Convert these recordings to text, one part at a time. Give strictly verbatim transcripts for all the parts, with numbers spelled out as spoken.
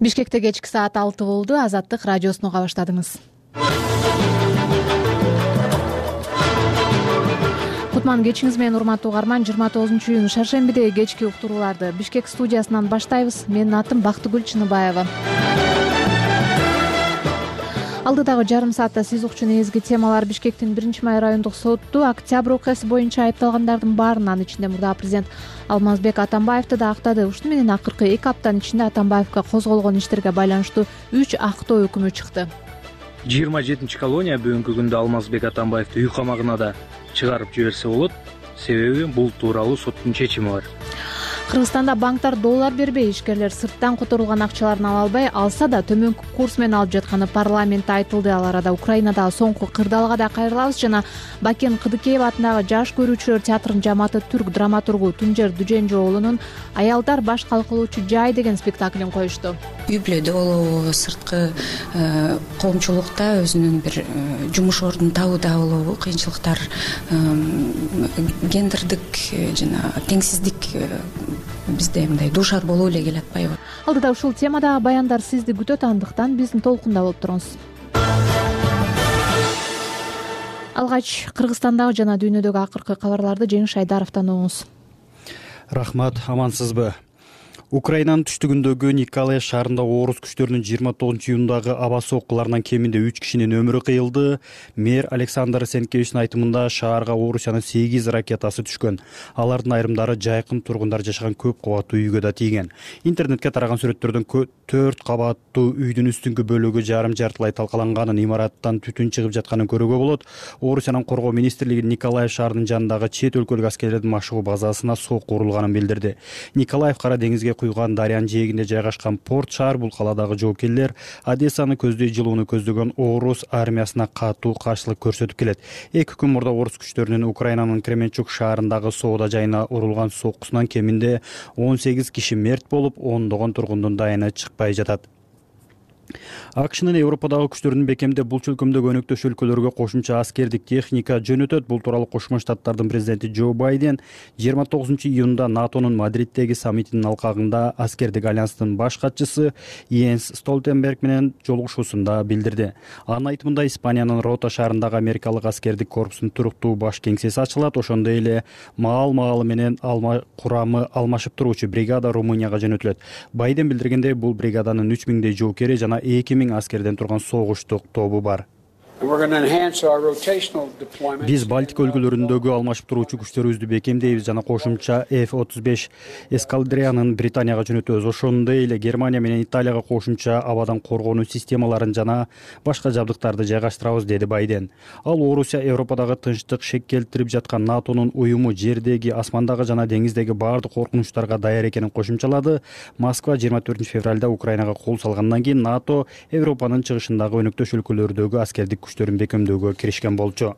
Бишкекте кечки саат алты болду. Азаттык радиосун уга баштадыңыз. Кутман кечиңиз менен урматтуу угарман. жыйырма тогузунчу июнь шаршембидеги кечки уктурууларды Бишкек студиясынан баштайбыз. Менин атым Бактыгүл Чыныбаева. Алдыдагы жарым саатта сиз укчу негизги темалар: Бишкектин биринчи май райондук соту октябрь окуясы боюнча айыпталгандардын баарын, анын ичинде мурда президент Алмазбек Атамбаевди да актады. Ушуну менен акыркы эки аптанын ичинде Атамбаевге козголгон иштерге байланыштуу үч актоо өкүмү чыкты. жыйырма жетинчи колония бүгүнкү күндө Алмазбек Атамбаевди үй камагына да чыгарып жиберсе болот. Себеби бул тууралуу соттун чечими бар. Кыргызстанда банктар доллар бербей, ишкерлер сырттан которулган акчаларын ала албай, алса да төмөнкү курс менен алып жатканы парламентте айтылды. Ал арада Украинадагы соңку кырдаалга да кайрылабыз жана Бакен Кыдыкеев атындагы Жаш көрүүчүлөр театрынын жамааты түрк драматургу Тунжер Дүженжоолунун «Аялдар баш калкалоочу жай» деген спектаклин коюшту. Үй бүлөдө болобу, сырткы коомчулукта өзүнүн бир жумуш ордун табууда болобу кыйынчылыктар, гендердик жана теңсиздик бизде мындай дуушар болуп эле келатпайбы? Алдыда ушул темадагы баяндар сизди күтөт, андыктан биздин толкунда болуп туруңуз. Алгач Кыргызстандагы жана дүйнөдөгү акыркы кабарларды Жеңиш Айдаровдон угуңуз. Рахмат, амансызбы? Украинанын түштүгүндөгү Николаев шаарында орус күчтөрүнүн жыйырма тогузунчу июндагы аба соккуларынан кеминде үч кишинин өмүрү кыйылды. Мэр Александр Сенкевичтин айтымында шаарга Орусиянын сегиз ракетасы түшкөн. Алардын айрымдары жайкын тургундар жашаган көп кабаттуу үйгө да тийген. Интернетке тараган сүрөттөрдөн төрт кабаттуу үйдүн үстүңкү бөлүгү жарым жартылай талкаланганын, имараттан түтүн чыгып жатканын көрүүгө болот. Орусиянын коргоо министрлиги Николаев шаарынын жанындагы чет өлкөлүк аскерлердин машыгуу базасына сокку урулганын билдирди. Николаев Кара деңизге куйган дарыянын жээгинде жайгашкан порт шаар. Бул каладагы жоокерлер Одессаны көздөй жылууну көздөгөн орус армиясына катуу каршылык көрсөтүп келет. Эки күн мурда орус күчтөрүнүн Украинанын Кременчук шаарындагы соода жайына урулган соккусунан кеминде он сегиз киши мерт болуп, ондогон тургундун дайыны чыкпай жатат. АКШнын Европадагы күчтөрүнүн бекемде бул чөлкөмдөгү өнөктөш өлкөлөргө кошумча аскердик техника жөнөтөт. Бул тууралуу Кошмо Штаттардын президенти Джо Байден жыйырма тогузунчу июнда НАТОнун Мадриддеги саммитинин алкагында аскердик альянстын баш катчысы Йенс Столтенберг менен жолугушуусунда билдирди. Анын айтымында Испаниянын Рота шаарындагы америкалык аскердик корпусунун туруктуу баш кеңсеси ачылат. Ошондой эле маал-маалы менен алма курамы алмашып туруучу бригада Румынияга жөнөтүлөт. Байден билдиргендей, бул бригаданын үч миңдей жоокери жана эки миң аскерден турган согуштук тобу бар. Биз Балтика өлкөлөрүндөгү алмашып туруучу күчтөрүбүздү бекемдейбиз жана кошумча эф отуз беш эскадрянын Британияга жөнөтөбүз. Ошондой эле Германия менен Италияга кошумча абадан коргонуу системаларын жана башка жабдыктарды жайгаштырабыз, деди Байден. Ал Орусия Европадагы тынчтык шек келтирип жаткан НАТОнун уюму жердеги, асмандагы жана деңиздеги баардык коркунучтарга даяр экенин кошумчалады. Москва жыйырма төртүнчү февралда Украинага кол салгандан кийин НАТО Европанын чыгышындагы өнөктөш өлкөлөрдөгү аскердик күчтөрүн бекемдөөгө киришкен болчу.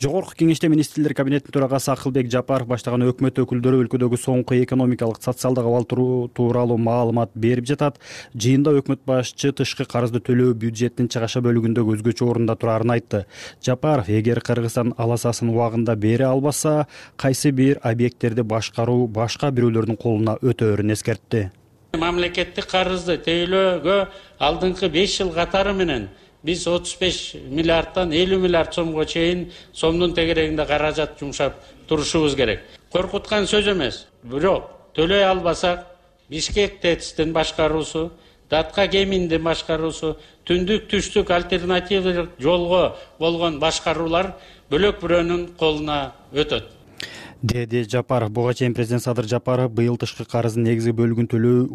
Жогорку кеңеште министрлер кабинетинин төрагасы Акылбек Жапаров баштаган өкмөт өкүлдөрү өлкөдөгү соңку экономикалык, социалдык абал тууралуу маалымат берип жатат. Жыйында өкмөт башчы тышкы карызды төлөө бюджеттин чыгаша бөлүгүндөгү өзгөчө орунда турарын айтты. Жапаров эгер Кыргызстан аласасын убагында бере албаса, кайсы бир объекттерди башкаруу башка бирөөлөрдүн колуна өтөөрүн эскертти. Мамлекеттик карызды тейлөөгө алдыңкы беш жыл катары менен биз отуз беш миллиардтан элүү миллиард сомго чейин сомдун тегерегинде каражат жумшап турушубуз керек. Коркуткан сөз эмес. Бирок төлөй албасак, Бишкек ТЭЦтин башкаруусу, Датка кеминдин башкаруусу, түндүк түштүк альтернативдик жолго болгон башкаруулар бөлөк бирөөнүн колуна өтөт, деди Жапаров. Буга чейин президент Садыр Жапаров быйыл тышкы карыздын негизги бөлүгүн төлөө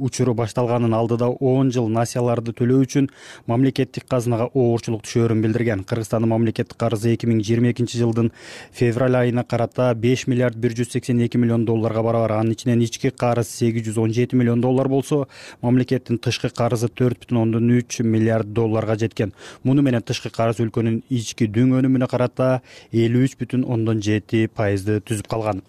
учуру башталганын, алдыда он жыл насияларды төлөө үчүн мамлекеттик казынага оорчулук түшөөрүн билдирген. Кыргызстандын мамлекеттик карызы эки миң жыйырма экинчи жылдын февраль айына карата беш миллиард бир жүз сексен эки миллион долларга барабар. Анын ичинен ички карыз сегиз жүз он жети миллион доллар болсо, мамлекеттин тышкы карызы төрт бүтүн ондон үч миллиард долларга жеткен. Муну менен тышкы карыз өлкөнүн ички дүң өнүмүнө карата элүү үч бүтүн ондон жети пайызды түзүп калган.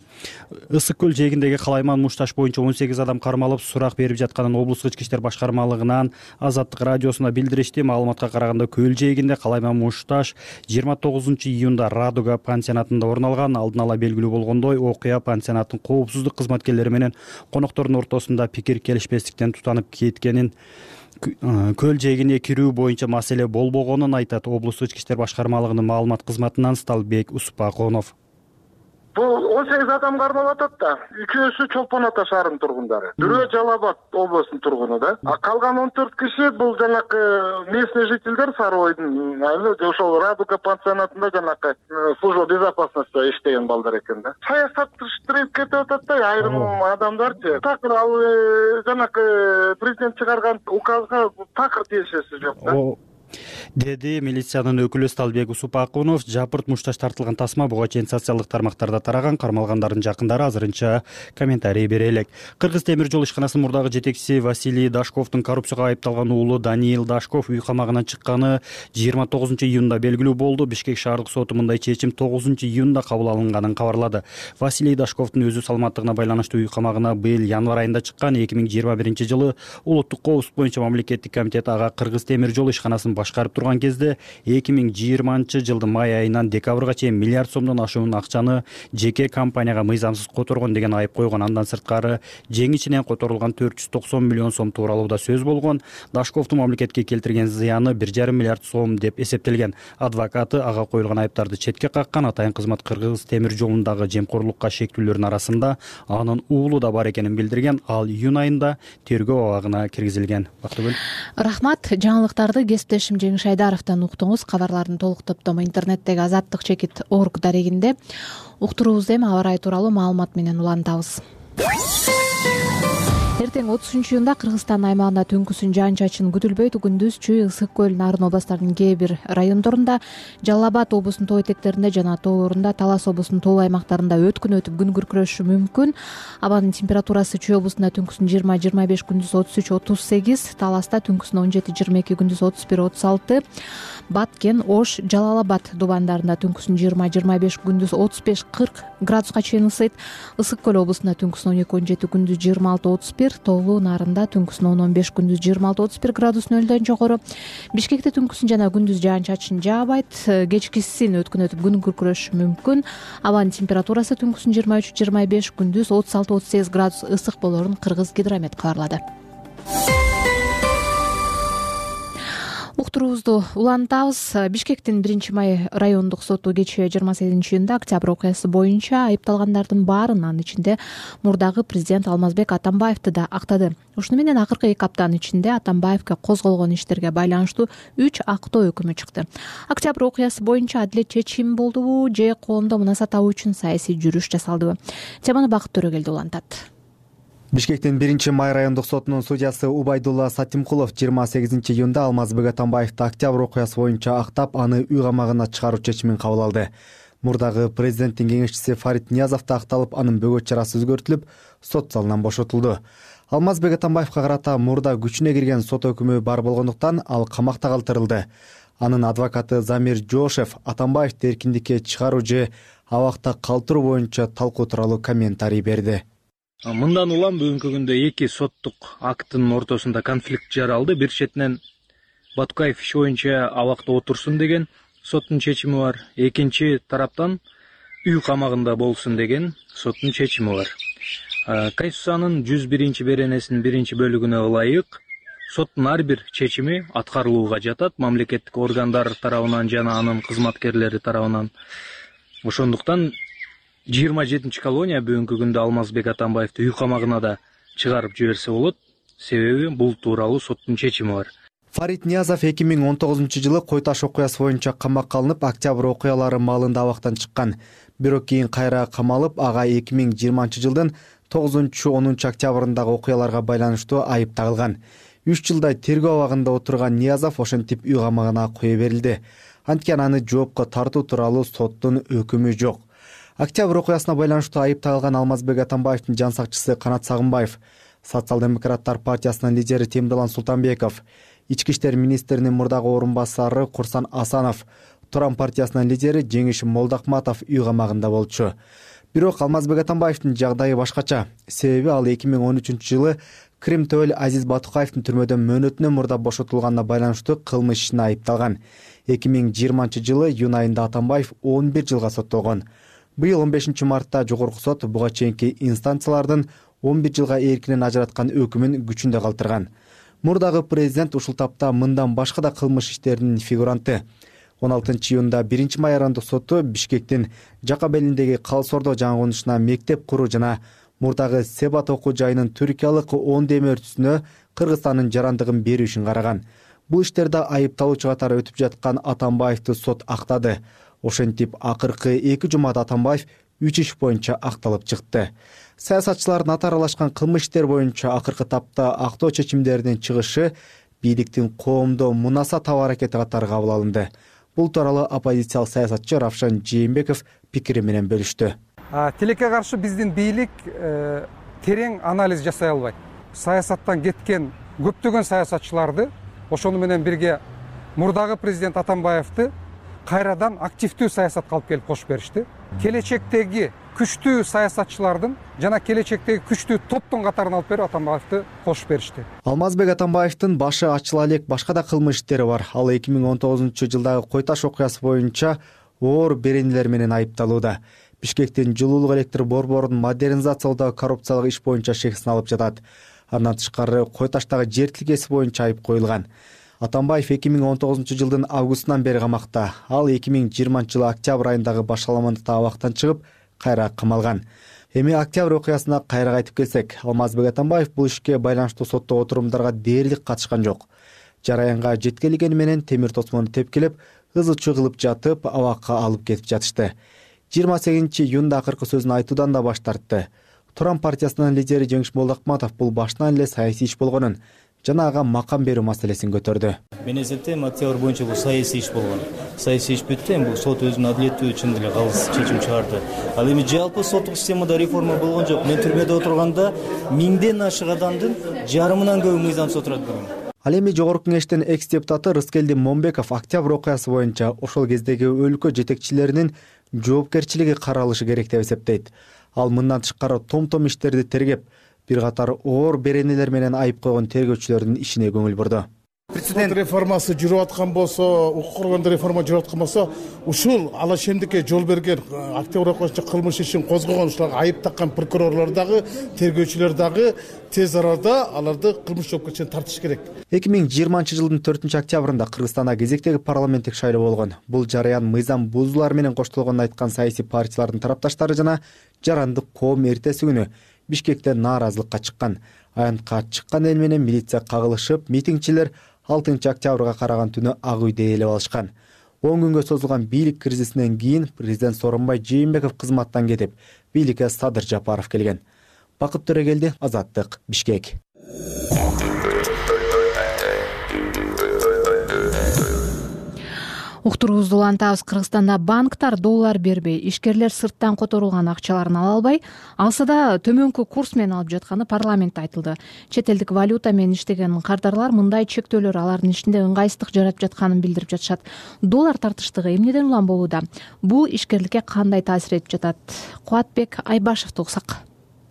Ысык көл жээгиндеги Калайман Мушташ боюнча он сегиз адам кармалып, сурак берип өтүп жатканын облустук ички иштер башкармалыгынан Азаттык радиосуна билдиришти. Маалыматка караганда Көл жээгинде Калайма Мушташ жыйырма тогузунчу июнда Радуга пансионатында орун алган. Алдын ала белгилүү болгондой, окуя пансионаттын коопсуздук кызматкерлери менен коноктордун ортосунда пикир келишпестиктен тутанып кеткенин, көл жээгине кирүү боюнча маселе болбогонун айтат облустук ички иштер башкармалыгынын маалымат кызматынан Сталбек Успаконов. Бул он сегиз адам кармалып атат да. Үчөөсү Чолпон Ата шаарынын тургундары. Бирөө Жалал Абад облусунун тургуну да. А калган он төрт киши бул жанакы местный жительдер Сары Ойдун, ошол Радуга пансионатында жанакы служба безопасности иштеген балдар экен да. Саясатташтырып кетип атат да, айрым адамдарчы. Такыр ал жанакы президент чыгарган указга такыр тиешеси жок да. Деди милициянын өкүлү Сталбек Усупакунов. Жапырт Мушташ тартылган тасма буга чейин социалдык тармактарда тараган. Кармалгандардын жакындары азырынча комментарий бере элек. Кыргыз темир жол ишканасынын мурдагы жетекчиси Василий Дашковдун коррупцияга айыпталган уулу Даниил Дашков үй камагынан чыкканы жыйырма тогузунчу июнда белгилүү болду. Бишкек шаардык соту мындай чечим тогузунчу июнда кабыл алынганын кабарлады. Василий Дашковдун өзү саламаттыгына байланыштуу үй камагына быйыл январь айында чыккан. эки миң жыйырма биринчи жылы улуттук коопсуздук боюнча мамлекеттик комитет ага Кыргыз темир жол ишканасын башкарып турган кезде эки миң жыйырманчы жылдын май айынан декабрга чейин миллиард сомдон ашуун акчаны жеке компанияга мыйзамсыз которгон деген айып койгон. Андан сырткары жеңичинен которулган төрт жүз токсон миллион сом тууралуу да сөз болгон. Дашковдун мамлекетке келтирген зыяны бир жарым миллиард сом деп эсептелген. Адвокаты ага коюлган айыптарды четке каккан. Атайын кызмат Кыргыз темир жолундагы жемкорлукка шектүүлөрдүн арасында анын уулу да бар экенин билдирген. Ал июнь айында тергөө абагына киргизилген. Бактыгүл. Рахмат. Жаңылыктарды кесиптешим Жеңиш Айдаровдон уктуңуз. Кабарлардын толук топтому интернеттеги азаттык чекит орг дарегинде. Уктуруубузду эми аба ырайы тууралуу маалымат менен улантабыз. Эртең отузунчу июнда Кыргызстан аймагында түнкүсүн жаан-чачын күтүлбөйт. Күндүз Чүй, Ысык көл, Нарын областарынын кээ бир райондорунда, Жалал Абад облусунун тоо этектеринде жана тоолорунда, Талас облусунун тоо аймактарында өткүн өтүп күн күркүрөшү мүмкүн. Абанын температурасы Чүй облусунда түнкүсүн жыйырма жыйырма беш, күндүз отуз үч отуз сегиз, Таласта түнкүсүн он жети жыйырма эки, күндүз отуз бир отуз алты, Баткен, Ош, Жалал Абад дубандарында түнкүсүн жыйырма жыйырма беш, күндүз отуз беш кырк градуска чейин ысыйт. Ысык көл облусунда түнкүсүн он эки он жети, күндүз жыйырма алты отуз бир, Тоолуу, Нарында түнкүсүн он он беш, күндүз жыйырма алты отуз бир градус нөлдөн жогору. Бишкекте түнкүсүн жана күндүз жаан-чачын жаабайт. Кечкисин өткүн өтүп күн күркүрөшү мүмкүн. Абанын температурасы түнкүсүн жыйырма үч жыйырма беш, күндүз отуз алты отуз сегиз градус ысык болорун Кыргыз гидромет кабарлады. Уктуруубузду улантабыз. Бишкектин биринчи май райондук соту кечээ жыйырма сегизинчи июнда октябрь окуясы боюнча айыпталгандардын баарын, анын ичинде мурдагы президент Алмазбек Атамбаевди да актады. Ушуну менен акыркы эки аптанын ичинде Атамбаевге козголгон иштерге байланыштуу үч актоо өкүмү чыкты. Октябрь окуясы боюнча адилет чечим болдубу же коомдо мунаса табуу үчүн саясий жүрүш жасалдыбы? Теманы Бакыт Төрөгелди улантат. Бишкектин биринчи май райондук сотунун судьясы Убайдулла Сатимкулов жыйырма сегизинчи июнда Алмазбек Атамбаевди октябрь окуясы боюнча актап, аны үй камагына чыгаруу чечимин кабыл алды. Мурдагы президенттин кеңешчиси Фарид Ниязов да акталып, анын бөгөт чарасы өзгөртүлүп, сот залынан бошотулду. Алмазбек Атамбаевга карата мурда күчүнө кирген сот өкүмү бар болгондуктан ал камакта калтырылды. Анын адвокаты Замир Жошев Атамбаевди эркиндикке чыгаруу же абакта калтыруу боюнча талкуу тууралуу комментарий берди. Мындан улам бүгүнкү күндө эки соттук акттын ортосунда конфликт жаралды. Бир четинен Баткаев иш боюнча абакта отурсун деген соттун чечими бар. Экинчи тараптан үй камагында болсун деген соттун чечими бар. Конституциянын жүз биринчи беренесинин биринчи бөлүгүнө ылайык соттун ар бир чечими аткарылууга жатат мамлекеттик органдар тарабынан жана анын кызматкерлери тарабынан. Ошондуктан жыйырма жетинчи колония бүгүнкү күндө Алмазбек Атамбаевди үй камагына да чыгарып жиберсе болот. Себеби бул тууралуу соттун чечими бар. Фарид Ниязов эки миң он тогузунчу жылы Кой Таш окуясы боюнча камакка алынып, октябрь окуялары маалында абактан чыккан. Бирок кийин кайра камалып, ага эки миң жыйырманчы жылдын тогузунчу онунчу октябрындагы окуяларга байланыштуу айып тагылган. үч жылдай тергөө абагында отурган Ниязов ошентип үй камагына кое берилди. Анткени аны жоопко тартуу тууралуу соттун өкүмү жок. Октябрь окуясына байланыштуу айып тагылган Алмазбек Атамбаевдин жан сакчысы Канат Сагынбаев, Социал-демократтар партиясынын лидери Темдалан Султанбеков, Ички иштер министринин мурдагы орун басары Курсан Асанов, Туран партиясынын лидери Жеңиш Молдокматов үй камагында болчу. Бирок Алмазбек Атамбаевдин жагдайы башкача. Себеби ал эки миң он үчүнчү жылы Крим Төөл Азиз Батукаевдин түрмөдөн мөөнөтүнөн мурда бошотулганына байланыштуу кылмыш ишине айыпталган. эки миң жыйырманчы жылы июнь айында Атамбаев он бир жылга соттолгон. Быйыл он бешинчи мартта жогорку сот буга чейинки инстанциялардын он бир жылга эркинен ажыраткан өкүмүн күчүндө калтырган. Мурдагы президент ушул тапта мындан башка да кылмыш иштеринин фигуранты. он алтынчы июнда биринчи майрандык соту Бишкектин Жакабелиндеги Калсордо жаңгонушуна мектеп куруу жана мурдагы Себат окуу жайынын түркиялык он дем өртүсүнө Кыргызстандын жарандыгын берүү үчүн караган. Бул иштерде айыпталуучу катары өтүп жаткан Атамбаевди сот актады. Ошентип акыркы эки жумада Атамбаев үч иш боюнча акталып чыкты. Саясатчылардын аты аралашкан кылмыш иштер боюнча акыркы тапта актоо чечимдеринин чыгышы бийликтин коомдо мунаса табуу аракети катары кабыл алынды. Бул тууралуу оппозициялык саясатчы Равшан Жээнбеков пикири менен бөлүштү. Тилекке каршы биздин бийлик терең анализ жасай албайт. Саясаттан кеткен көптөгөн саясатчыларды ошону менен бирге мурдагы президент Атамбаевди кайрадан активдүү саясатка алып келип кошуп беришти. Келечектеги күчтүү саясатчылардын жана келечектеги күчтүү топтун катарына алып берип Атамбаевди кошуп беришти. Алмазбек Атамбаевдин башы ачыла элек башка да кылмыш иштери бар. Ал эки миң он тогузунчу жылдагы Кой Таш окуясы боюнча оор беренелер менен айыпталууда. Бишкектин жылуулук электр борборун модернизациялоодагы коррупциялык иш боюнча шексин алып жатат. Андан тышкары Кой Таштагы жер тилкеси боюнча айып коюлган. Атамбаев эки миң он тогузунчу жылдын августунан бери камакта. Ал эки миң жыйырманчы жылы октябрь айындагы башаламандыкта абактан чыгып, кайра камалган. Эми октябрь окуясына кайра кайтып келсек, Алмазбек Атамбаев бул ишке байланыштуу соттоо отурумдарга дээрлик катышкан жок. Жараянга жеткилигени менен темир тосмону тепкилеп, ызы чуу кылып жатып, абакка алып кетип жатышты. жыйырма сегизинчи июнда акыркы сөзүн айтуудан да баш тартты. Туран партиясынын лидери Жеңиш Молдокматов бул башынан эле саясий иш болгонун жана ага макам берүү маселесин көтөрдү. Мен эсептейм, октябрь боюнча бул саясий иш болгон. Саясий иш бүттү, бул сот өзүнүн адилеттүү чын эле калыс чечим чыгарды. Ал эми жалпы соттук системада реформа болгон жок. Мен түрмөдө отурганда миңден ашык адамдын жарымынан көбү мыйзамсыз отурат бүгүн. Ал эми жогорку кеңештин экс депутаты Рыскелди Момбеков октябрь окуясы боюнча ошол кездеги өлкө жетекчилеринин жоопкерчилиги каралышы керек деп эсептейт. Ал мындан тышкары том-том иштерди тергеп, бир катар оор беренелер менен айып койгон тергөөчүлөрдүн ишине көңүл бурду. Президент реформасы жүрүп аткан болсо, укук коргондо реформа жүрүп аткан болсо, ушул алашемдикке жол берген октябрь окуясынча кылмыш ишин козгогон, ушуларга айып таккан прокурорлор дагы, тергөөчүлөр дагы тез арада аларды кылмыш жоопкерчиликке тартыш керек. эки миң жыйырманчы жылдын төртүнчү октябрында Кыргызстанда кезектеги парламенттик шайлоо болгон. Бул жараян мыйзам бузуулар менен коштолгонун айткан саясий партиялардын тарапташтары жана жарандык коом эртеси күнү Бишкекте нааразылыкка чыккан. Аянтка чыккан эл менен милиция кагылышып, митингчилер алтынчы октябрга караган түнү ак үйдө ээлеп алышкан. он күнгө созулган бийлик кризисинен кийин президент Сооронбай Жээнбеков кызматтан кетип, бийликке Садыр Жапаров келген. Бакыт Төрөгелди, Азаттык, Бишкек. Уктуруубузду улантабыз. Кыргызстанда банктар доллар бербей, ишкерлер сырттан которулган акчаларын ала албай, алса да төмөнкү курс менен алып жатканы парламентте айтылды. Чет элдик валюта менен иштеген кардарлар мындай чектөөлөр алардын ишинде ыңгайсыздык жаратып жатканын билдирип жатышат. Доллар тартыштыгы эмнеден улам болууда? Бул ишкерликке кандай таасир этип жатат? Кубатбек Айбашевди уксак.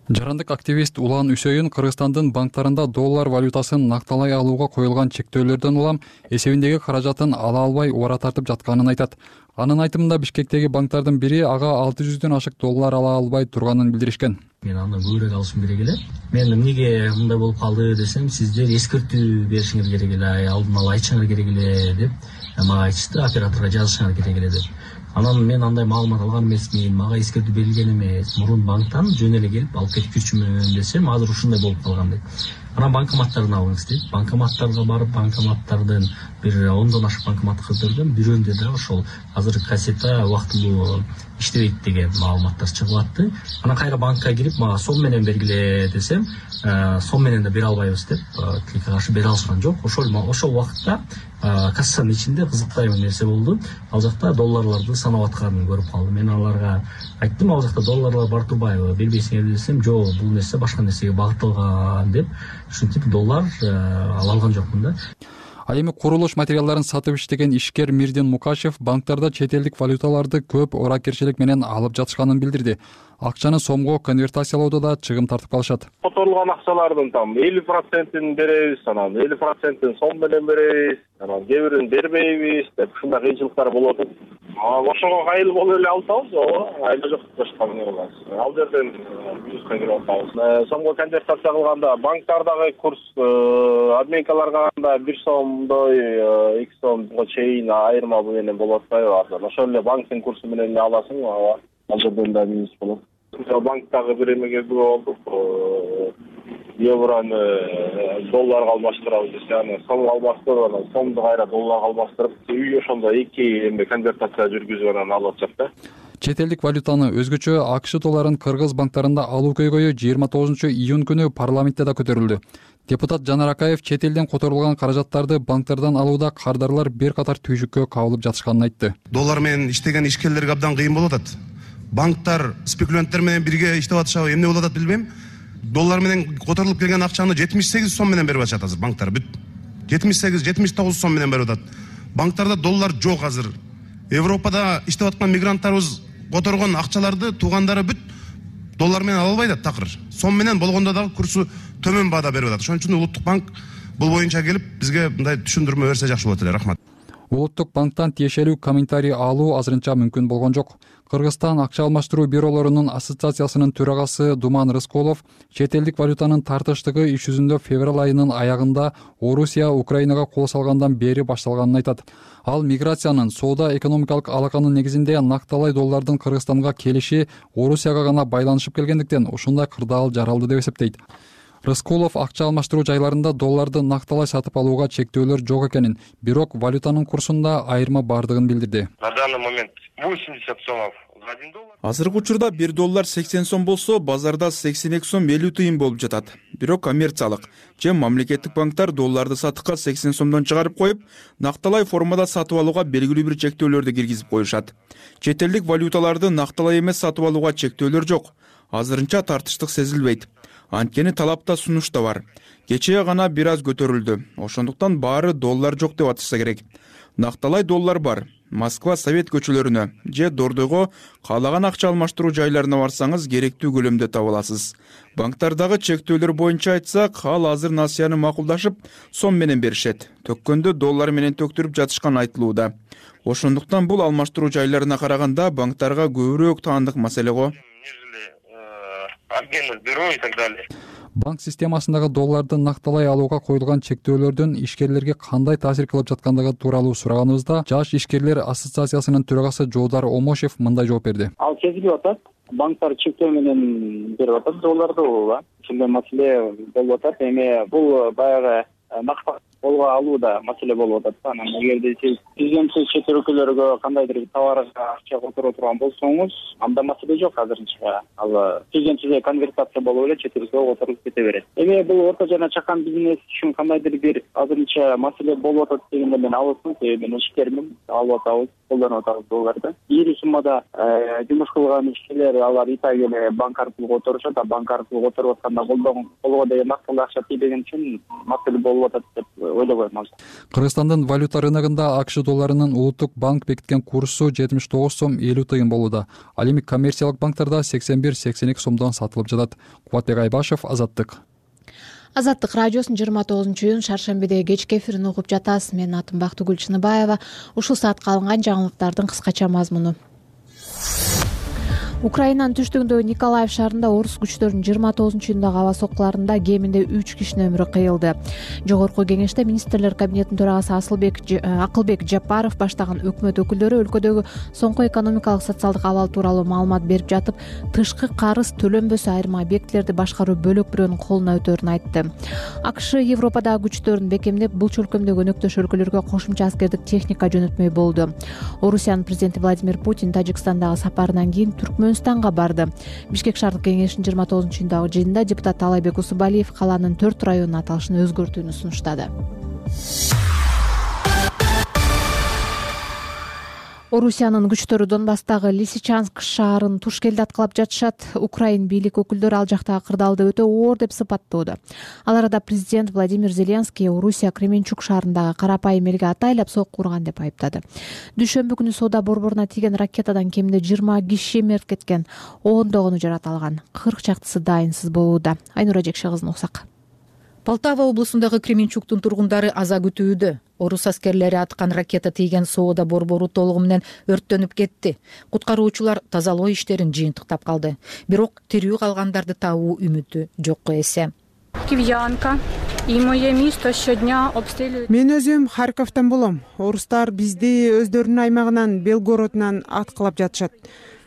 Жарандык активист Улан Үсөйүн Кыргызстандын банктарында доллар валютасын накталай алууга коюлган чектөөлөрдөн улам эсебиндеги каражатын ала албай убара тартып жатканын айтат. Анын айтымында Бишкектеги банктардын бири ага алты жүздөн ашык доллар ала албай турганын билдиришкен. Мен андан көбүрөөк алышым керек эле. Мен эмнеге мындай болуп калды десем, сиздер эскертүү беришиңер керек эле, алдын ала айтышыңар керек эле деп мага айтышты, операторго жазышыңар керек эле деп. Анан мен андай маалымат алган эмесмин, мага эскертүү берилген эмес. Мурун банктан жөн эле келип алып кетип жүрчүмүн десем, азыр ушундай болуп калган дейт. Анан банкоматтарын алыңыз дейт. Банкоматтарга барып, банкоматтардын бир ондон ашык банкомат кыздырдым. Бирөөндө да ошол азыр кассета убактылуу иштебейт деген маалыматтар чыгып атты. Анан кайра банкка кирип, мага сом менен бергиле десем, сом менен да бере албайбыз деп, тилекке каршы бере алышкан жок. Ошол ошол убакытта кассанын ичинде кызыктуу нерсе болду. Ал жакта долларларды санап атканын көрүп калдым. Мен аларга айттым, ал жакта долларлар бар турбайбы, бербейсиңерби десем, жок, бул нерсе башка нерсеге багытталган деп, ушинтип доллар ала алган жокмун да. Ал эми курулуш материалдарын сатып иштеген ишкер Мирдин Мукашев банктарда чет элдик валюталарды көп ыракерчилик менен алып жатышканын билдирди. Акчаны сомго конвертациялоодо да чыгым тартып калышат. Которулган акчалардын там элүү процентин беребиз, анан элүү процентин сом менен беребиз, анан кээ бирин бербейбиз деп ушундай кыйынчылыктар болот. Ошого кайыл болуп эле алсабыз, ооба, айла жок башка эмне болот. Ал жерден плюска кирип атабыз. Сомго конвертация кылганда банктардагы курс обменкаларга караганда бир сомдой эки сомго чейин айырма менен болуп атпайбы азыр. Ошол эле банктын курсу менен эле аласың, ооба. Ал жерден да минус болот. Банктагы бир эмеге күбө болдук. Евроны долларга алмаштырабыз десе, анан сомго алмаштырып, анан сомду кайра долларга алмаштырып, үй ошондо эки эме конвертация жүргүзүп анан алып атышат да. Чет элдик валютаны өзгөчө АКШ долларын кыргыз банктарында алуу көйгөйү жыйырма тогузунчу июнь күнү парламентте да көтөрүлдү. Депутат Жанар Акаев чет элден которулган каражаттарды банктардан алууда кардарлар бир катар түйшүккө кабылып жатышканын айтты. Доллар менен иштеген ишкерлерге абдан кыйын болуп атат. Банктар спекулянттар менен бирге иштеп атышабы, эмне болуп атат билбейм. Доллар менен которулуп келген акчаны жетимиш сегиз сом менен берип атышат азыр банктар бүт. жетимиш сегиз жетимиш тогуз сом менен берип атат. Банктарда доллар жок азыр. Европада иштеп аткан мигранттарыбыз которгон акчаларды туугандары бүт доллар менен ала албайт такыр. Сом менен болгондо дагы курсу төмөн баада берип атат. Ошон үчүн Улуттук банк бул боюнча келип бизге мындай түшүндүрмө берсе жакшы болот эле. Рахмат. Улуттук банктан тиешелүү комментарий алуу азырынча мүмкүн болгон жок. Кыргызстан акча алмаштыруу бюролорунун ассоциациясынын төрагасы Думан Рыскулов чет элдик валютанын тартыштыгы иш жүзүндө февраль айынын аягында Орусия Украинага кол салгандан бери башталганын айтат. Ал миграциянын соода экономикалык алаканын негизинде накталай доллардын Кыргызстанга келиши Орусияга гана байланышып келгендиктен ушундай кырдаал жаралды деп эсептейт. Рыскулов акча алмаштыруу жайларында долларды накталай сатып алууга чектөөлөр жок экенин, бирок валютанын курсунда айырма бардыгын билдирди. На данный момент восемьдесят сомов за один доллар. Азыркы учурда бир доллар сексен сом болсо, базарда сексен эки сом элүү тыйын болуп жатат. Бирок коммерциялык же мамлекеттик банктар долларды сатыкка сексен сомдон чыгарып коюп, накталай формада сатып алууга белгилүү бир чектөөлөрдү киргизип коюшат. Чет элдик валюталарды накталай эмес сатып алууга чектөөлөр жок. Азырынча тартыштык сезилбейт. Анткени талапта сунуш да бар. Кечээ гана бир аз көтөрүлдү. Ошондуктан баары доллар жок деп атышса керек. Накталай доллар бар. Москва Совет көчөлөрүнө же Дордойго каалаган акча алмаштыруу жайларына барсаңыз керектүү көлөмдө таба аласыз. Банктардагы чектөөлөр боюнча айтсак, ал азыр насыяны макулдашып, сом менен беришет. Төккөндө доллар менен төктүрүп жатышкан айтылууда. Ошондуктан бул алмаштыруу жайларына караганда банктарга көбүрөөк таандык маселе го. Обменных бюро и так далее. Банк системасындагы долларды накталай алууга коюлган чектөөлөрдүн ишкерлерге кандай таасир кылып жаткандыгы тууралуу сураганыбызда Жаш ишкерлер ассоциациясынын төрагасы Жоодар Омошев мындай жооп берди. Ал сезилип атат. Банктар чектөө менен берип атат долларды, ооба. Ушундай маселе болуп атат. Эми бул баягы максат колго алууда маселе болуп атат. Анан эгерде сиз президенттик чет өлкөлөргө кандайдыр товарга акча которо турган болсоңуз, анда маселе жок азырынча. Ал президентте конвертация болуп эле чет өлкөгө которулуп кете берет. Эми бул орто жана чакан бизнес үчүн кандайдыр бир азырынча маселе болуп атат дегенде мен алысмын. Мен ишкермин, алып атабыз, колдонуп атабыз долларды. Ири суммада жумуш кылган ишкерлер алар итак эле банк аркылуу которушат, а банк аркылуу которуп атканда колго деген накталуу акча тийбеген үчүн маселе болуп атат деп ойлобойм. Кыргызстандын валюта рыногунда АКШ долларынын Улуттук банк бекиткен курсу жетимиш тогуз сом элүү тыйын болууда. Ал эми коммерциялык банктарда сексен бир сексен эки сомдон сатылып жатат. Кубатбек Айбашев, Азаттык. Азаттык радиосунун жыйырма тогузунчу июнь шаршембидеги кечки эфирин угуп жатасыз. Мен атым Бактыгүл Чыныбаева. Ушул саатка алынган жаңылыктардын кыскача мазмуну. Украинанын түштүгүндөгү Николаев шаарында орус күчтөрүнүн жыйырма тогузунчу июндагы аба соккуларында кеминде үч кишинин өмүрү кыйылды. Жогорку кеңеште министрлер кабинетинин төрагасы Асылбек Акылбек Жапаров баштаган өкмөт өкүлдөрү өлкөдөгү соңку экономикалык социалдык абал тууралуу маалымат берип жатып, тышкы карыз төлөнбөсө айрым объектилерди башкаруу бөлөк бирөөнүн колуна өтөрүн айтты. АКШ Европадагы күчтөрүн бекемдеп, бул чөлкөмдөгү өнөктөш өлкөлөргө кошумча аскердик техника жөнөтмөй болду. Орусиянын президенти Владимир Путин Тажикстандагы сапарынан кийин Түркмөнстанга барды. Бишкек шаардык кеңешинин жыйырма тогузунчу июндагы жыйынында депутат Талайбек Усубалиев калаанын төрт районунун аталышын өзгөртүүнү сунуштады. Орусиянын күчтөрү Донбасстагы Лисичанск шаарын туш келди аткылап жатышат. Украин бийлик өкүлдөрү ал жактагы кырдаалды өтө оор деп сыпаттоодо. Ал арада президент Владимир Зеленский Орусия Кременчук шаарындагы карапайым элге атайлап сокку урган деп айыптады. Дүйшөмбү күнү соода борборуна тийген ракетадан кеминде жыйырма киши мерт кеткен, ондогону жараталган, кырк чактысы дайынсыз болууда. Айнура Жекше кызын уксак. Полтава облусундагы Кременчуктун тургундары аза күтүүдө. Орус аскерлери аткан ракета тийген соода борбору толугу менен өрттөнүп кетти. Куткаруучулар тазалоо иштерин жыйынтыктап калды. Бирок тирүү калгандарды табуу үмүтү жокко эсе. Киевянка и мое место щодня обстреливают. Мен өзүм Харьковдон болом. Орустар бизди өздөрүнүн аймагынан, Белгородунан аткылап жатышат.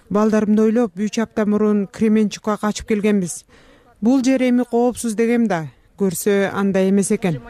Балдарымды ойлоп, үч апта мурун Кременчукка качып келгенбиз. Бул жер эми коопсуз дегем да. Көрсө андай эмес экен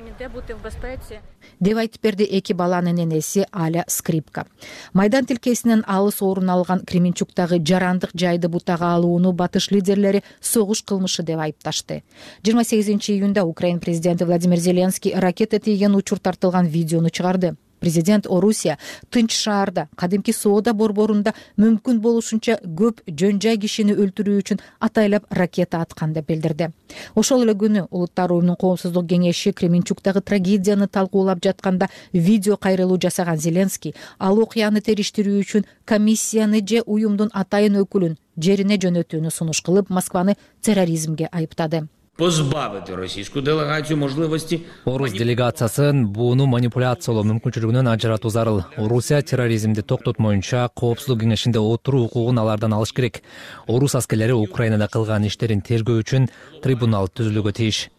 деп айтып берди эки баланын энеси Аля Скрипка. Майдан тилкесинен алыс орун алган Кременчуктагы жарандык жайды бутага алууну батыш лидерлери согуш кылмышы деп айыпташты. жыйырма сегизинчи июнда Украин президенти Владимир Зеленский ракета тийген учур тартылган видеону чыгарды. Президент Орусия тынч шаарда, кадимки соода борборунда мүмкүн болушунча көп жөн жай кишини өлтүрүү үчүн атайлап ракета аткан деп билдирди. Ошол эле күнү Улуттар уюмунун коомсуздук кеңеши Кременчуктагы трагедияны талкуулап жатканда видео кайрылуу жасаган Зеленский ал окуяны териштирүү үчүн комиссияны же уюмдун атайын өкүлүн жерине жөнөтүүнү сунуш кылып, Москваны терроризмге айыптады. Позбавити російську делегацію можливості. Орус делегациясын буну манипуляциялоо мүмкүнчүлүгүнөн ажыратуу зарыл. Орусия терроризмди токтотмоюнча коопсуздук кеңешинде отуруу укугун алардан алыш керек. Орус аскерлери Украинада кылган иштерин тергөө үчүн трибунал түзүлүүгө тийиш.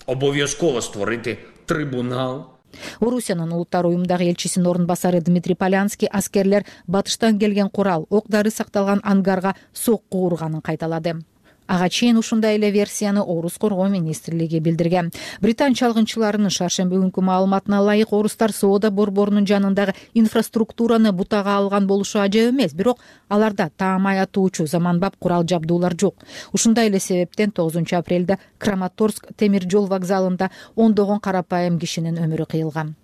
Обов'язково створити трибунал. Орусиянын Улуттар уюмдагы элчисинин орун басары Дмитрий Полянский аскерлер батыштан келген курал, ок дары сакталган ангарга сокку урганын кайталады. Ага чейин ушундай эле версияны Орус коргоо министрлиги билдирген. Британ чалгынчыларынын шаршемби күнкү маалыматына ылайык орустар соода борборунун жанындагы инфраструктураны бутага алган болушу ажап эмес, бирок аларда таамай атуучу заманбап курал жабдуулар жок. Ушундай эле себептен тогузунчу апрелде Краматорск темир жол вокзалында ондогон карапайым кишинин өмүрү кыйылган.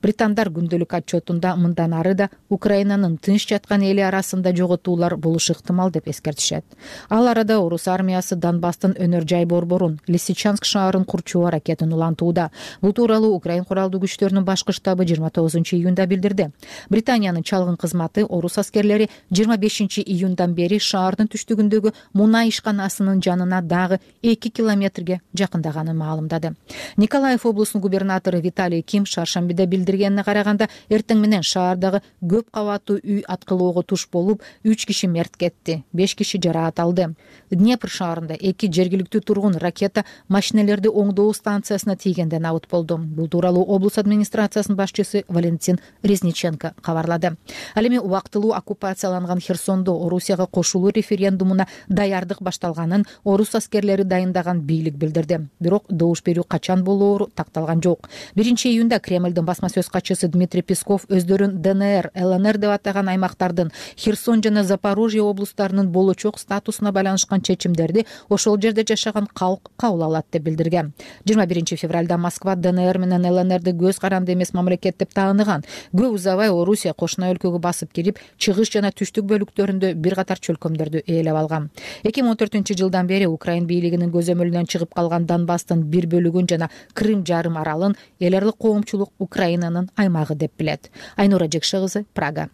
Британдар күндөлүк отчетунда мындан ары да Украинанын тынч жаткан эли арасында жоготуулар болушу ыктымал деп эскертишет. Ал арада Орус армиясы Донбасстын өнөр жай борборун Лисичанск шаарын курчуу аракетин улантууда. Бул тууралуу Украин куралдуу күчтөрүнүн башкы штабы жыйырма тогузунчу июнда билдирди. Британиянын чалгын кызматы Орус аскерлери жыйырма бешинчи июндан бери шаардын түштүгүндөгү мунай ишканасынын жанына дагы эки километрге жакындаганын маалымдады. Николаев облусунун губернатору Виталий Ким шаршембиде билдиргенине караганда, эртең менен шаардагы көп кабаттуу үй аткылоого туш болуп, үч киши мерт кетти, беш киши жараат алды. Днепр шаарында эки жергиликтүү тургун ракета машинелерди оңдоо станциясына тийгенден абыт болду. Бул тууралуу облус администрациясынын башчысы Валентин Резниченко кабарлады. Ал эми убактылуу оккупацияланган Херсондо Орусияга кошулуу референдумуна даярдык башталганын орус аскерлери дайындаган бийлик билдирди. Бирок добуш берүү качан болоору такталган жок. биринчи июнда Кремлдин басма сөз катчысы Дмитрий Песков өздөрүн ДНР, ЛНР деп атаган аймактардын Херсон жана Запорожье облустарынын болочок статусуна байланышкан чечимдерди ошол жерде жашаган калк кабыл алат деп билдирген. жыйырма биринчи февралда Москва ДНР менен ЛНРди көз каранды эмес мамлекет деп тааныган. Көп узабай Орусия кошуна өлкөгө басып кирип, чыгыш жана түштүк бөлүктөрүндө бир катар чөлкөмдөрдү ээлеп алган. эки миң он төртүнчү жылдан бери Украин бийлигинин көзөмөлүнөн чыгып калган Донбасстын бир бөлүгүн жана Крым жарым аралын эл аралык коомчулук Украинанын аймагы деп билет. Айнура Жекше кызы, Прага.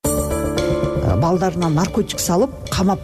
Балдарына наркотик салып, камап,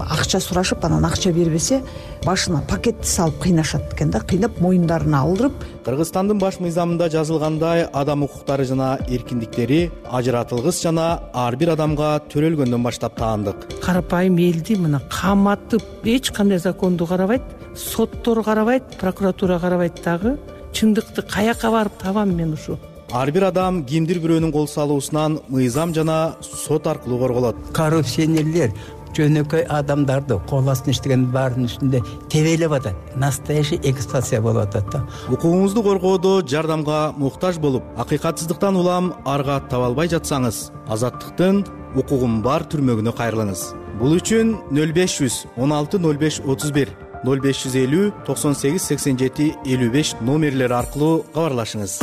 акча сурашып, анан акча бербесе, башына пакетти салып кыйнашат экен да, кыйнап моюндарына алдырып. Кыргызстандын баш мыйзамында жазылгандай, адам укуктары жана эркиндиктери ажыратылгыс жана ар бир адамга төрөлгөндөн баштап таандык. Карапайым элди мына каматып, эч кандай законду карабайт, соттор карабайт, прокуратура карабайт дагы. Чындыкты каяка барып табам мен ушу? Ар бир адам кимдир бирөөнүн кол салуусунан мыйзам жана сот аркылуу корголот. Коррупционерлер жөнөкөй адамдарды кол астына иштеген баардын үстүндө тебелеп атат. Настоящий эксплуатация болуп атат да. Укугуңузду коргоодо жардамга муктаж болуп, акыйкатсыздыктан улам арга таба албай жатсаңыз, азаттыктын укугум бар түрмөгүнө кайрылыңыз. Бул үчүн нөл беш жүз он алты нөл беш отуз бир нөл беш жүз элүү токсон сегиз сексен жети элүү беш номерлери аркылуу кабарлашыңыз.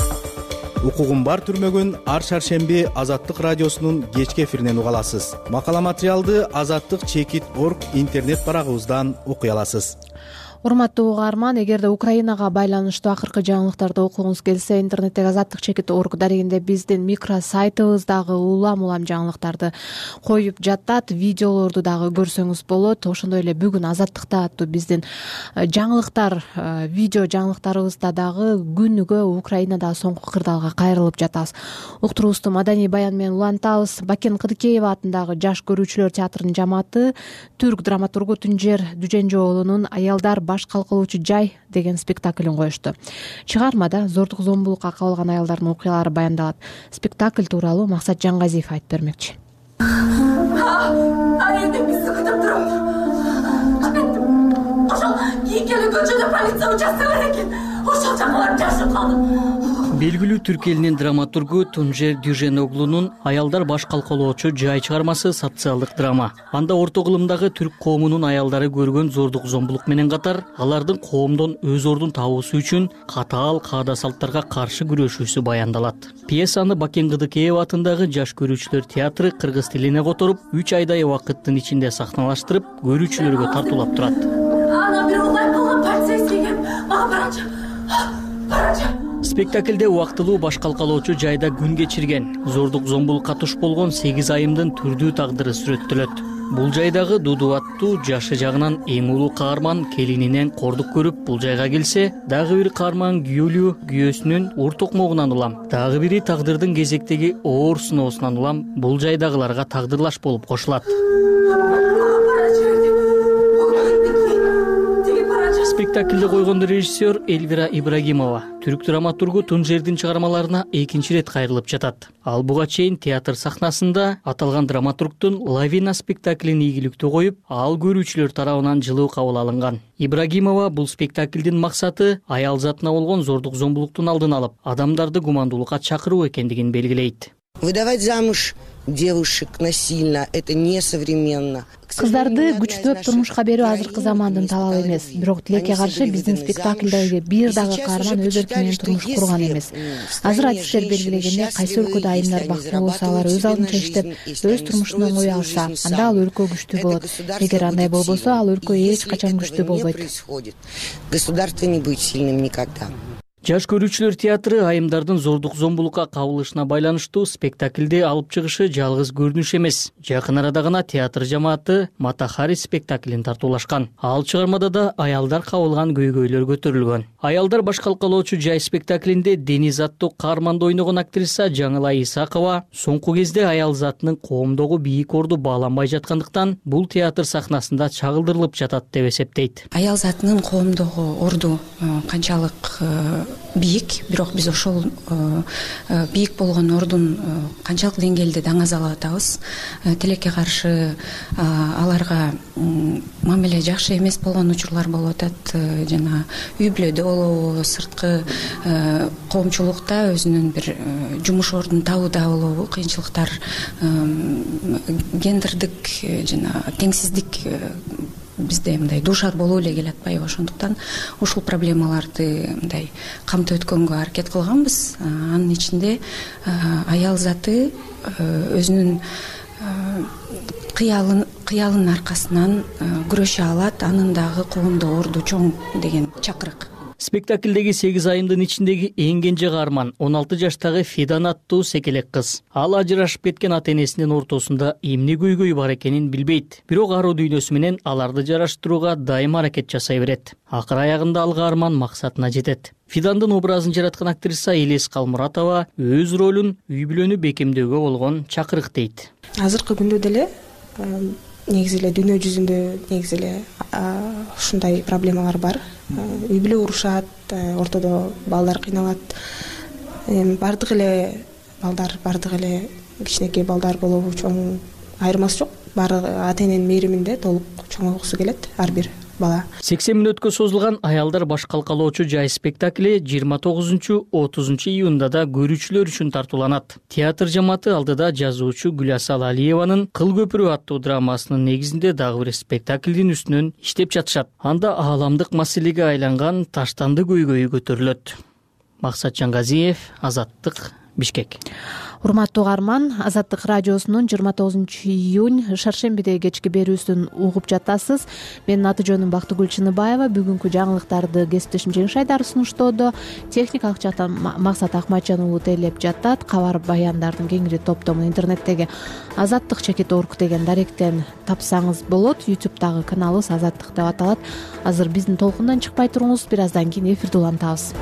укугун бар түрмөгүн ар шаршемби Азаттык радиосунун кечки эфиринен уга аласыз. Макала материалды азаттык чекит орг интернет барагыбыздан окуй аласыз. Урматтуу угарман, эгерде Украинага байланыштуу акыркы жаңылыктарды окугуңуз келсе, интернеттеги азаттык чекит орг дарегинде биздин микро сайтыбыздагы улам улам жаңылыктарды коюп жатат, видеолорду дагы көрсөңүз болот. Ошондой эле бүгүн азаттыкта аттуу биздин жаңылыктар, видео жаңылыктарыбызда дагы күнүгө Украинада соңку кырдаалга кайрылып жатабыз. Уктуруубузду маданий баян менен улантабыз. Бакен Кыдыкеева атындагы Жаш көрүүчүлөр театрынын жамааты түрк драматургу Тунжер Дүженжоолунун аялдар баш калкалоочу жай деген спектаклин коюшту. Чыгармада зордук зомбулукка кабылган аялдардын окуялары баяндалат. Спектакль тууралуу Максат Жаңгазиев айтып бермекчи. Айында бизди күтүп туруп. Кеттим. Ошол кийинкелүү көчөдө полиция участогу бар экен. Ошол жака барып жашып калдым. Белгилүү түрк элинин драматургу Тунжер Дүженоглунун аялдар баш калкалоочу жай чыгармасы социалдык драма. Анда орто кылымдагы түрк коомунун аялдары көргөн зордук зомбулук менен катар, алардын коомдон өз ордун табуусу үчүн катаал каада салттарга каршы күрөшүүсү баяндалат. Пьесаны Бакен Кыдыкеева атындагы Жаш көрүүчүлөр театры кыргыз тилине которуп, үч айдай убакыттын ичинде сахналаштырып, көрүүчүлөргө тартуулап турат. Ана бир улай болгон полицейский кеп, мага барачы. Барачы. Спектаклде убактылуу баш калкалоочу жайда күн кечирген, зордук зомбулукка туш болгон сегиз айымдын түрдүү тагдыры сүрөттөлөт. Бул жайдагы Дуду аттуу жашы жагынан эң улуу каарман келининен кордук көрүп бул жайга келсе, дагы бир каарман күйөөлүү күйөөсүнүн ур токмогунан улам, дагы бири тагдырдын кезектеги оор сыноосунан улам бул жайдагыларга тагдырлаш болуп кошулат. Спектаклде койгон режиссер Эльвира Ибрагимова түрк драматургу Тунжердин чыгармаларына экинчи ирет кайрылып жатат. Ал буга чейин театр сахнасында аталган драматургтун Лавина спектаклин ийгиликтүү коюп, ал көрүүчүлөр тарабынан жылуу кабыл алынган. Ибрагимова бул спектаклдин максаты аял затына болгон зордук зомбулуктун алдын алып, адамдарды гумандуулукка чакыруу экендигин белгилейт. Выдавать замуж девушек насильно — это несовременно. Кыздарды күчтөп турмушка берүү азыркы замандын талабы эмес. Бирок тилекке каршы биздин спектаклдеги бир дагы каарман өз эрки менен турмуш курган эмес. Азыр адистер белгилегендей, кайсы өлкөдө айымдар бактылуу болсо, алар өз алдынча иштеп, өз турмушун оңой алса, анда ал өлкө күчтүү болот. Эгер андай болбосо, ал өлкө эч качан күчтүү болбойт. Государство не будет сильным никогда. Жаш көрүүчүлөр театры айымдардын зордук зомбулукка кабылышына байланыштуу спектаклде алып чыгышы жалгыз көрүнүш эмес. Жакын арада гана театр жамааты Матахари спектаклин тартуулашкан. Ал чыгармада да аялдар кабылган көйгөйлөр көтөрүлгөн. Аялдар баш калкалоочу жай спектаклинде Дениз аттуу каарманды ойногон актриса Жаңылай Исакова соңку кезде аял затынын коомдогу бийик орду бааланбай жаткандыктан бул театр сахнасында чагылдырылып жатат деп эсептейт. Аял затынын коомдогу орду канчалык бийик, бирок биз ошол бийик болгон ордун канчалык деңгээлде даңаз алып атабыз. Тилекке каршы аларга мамиле жакшы эмес болгон учурлар болуп атат. Жана үй бүлөдө болобу, сырткы коомчулукта өзүнүн бир жумуш ордун табууда болобу кыйынчылыктар, гендердик жана теңсиздик бизде мындай дуушар болуп эле келатпайбы. Ошондуктан ушул проблемаларды мындай камтып өткөнгө аракет кылганбыз. Анын ичинде аял заты өзүнүн кыялын кыялынын аркасынан күрөшө алат, анын дагы коомдо орду чоң деген чакырык. Спектаклдеги сегиз айымдын ичиндеги эң кенже каарман он алты жаштагы Фидан аттуу секелек кыз. Ал ажырашып кеткен ата энесинин ортосунда эмне көйгөй бар экенин билбейт. Бирок аруу дүйнөсү менен аларды жараштырууга дайым аракет жасай берет. Акыр аягында ал каарман максатына жетет. Фидандын образын жараткан актриса Элес Калмуратова өз ролун үй бүлөнү бекемдөөгө болгон чакырык дейт. Азыркы күндө деле негизи эле дүйнө жүзүндө негизи эле ушундай проблемалар бар. Үй бүлө урушат, ортодо балдар кыйналат. Бардык эле балдар, бардык эле кичинекей балдар болобу, чоң айырмасы жок. Баары ата эненин мээриминде толук чоңойгусу келет ар бир бала. сексен мүнөткө созулган аялдар баш калкалоочу жай спектакли жыйырма тогузунчу отузунчу июнда да көрүүчүлөр үчүн тартууланат. Театр жамааты алдыда жазуучу Гүласал Алиеванын Кыл көпүрө аттуу драмасынын негизинде дагы бир спектаклдин үстүнөн иштеп жатышат. Анда ааламдык маселеге айланган таштанды көйгөйү көтөрүлөт. Максат Жангазиев, Азаттык, Бишкек. Урматтуу угарман, Азаттык радиосунун жыйырма тогузунчу июнь шаршембидеги кечки берүүсүн угуп жатасыз. Менин аты жөнүм Бактыгүл Чыныбаева. Бүгүнкү жаңылыктарды кесиптешим Жеңиш Айдар сунуштоодо. Техникалык жактан Максат Акматжан уулу тейлеп жатат. Кабар баяндардын кеңири топтомун интернеттеги азаттык чекит точка орг деген даректен тапсаңыз болот. ютубтагы каналыбыз Азаттык деп аталат. Азыр биздин толкундан чыкпай туруңуз, бир аздан кийин эфирде улантабыз.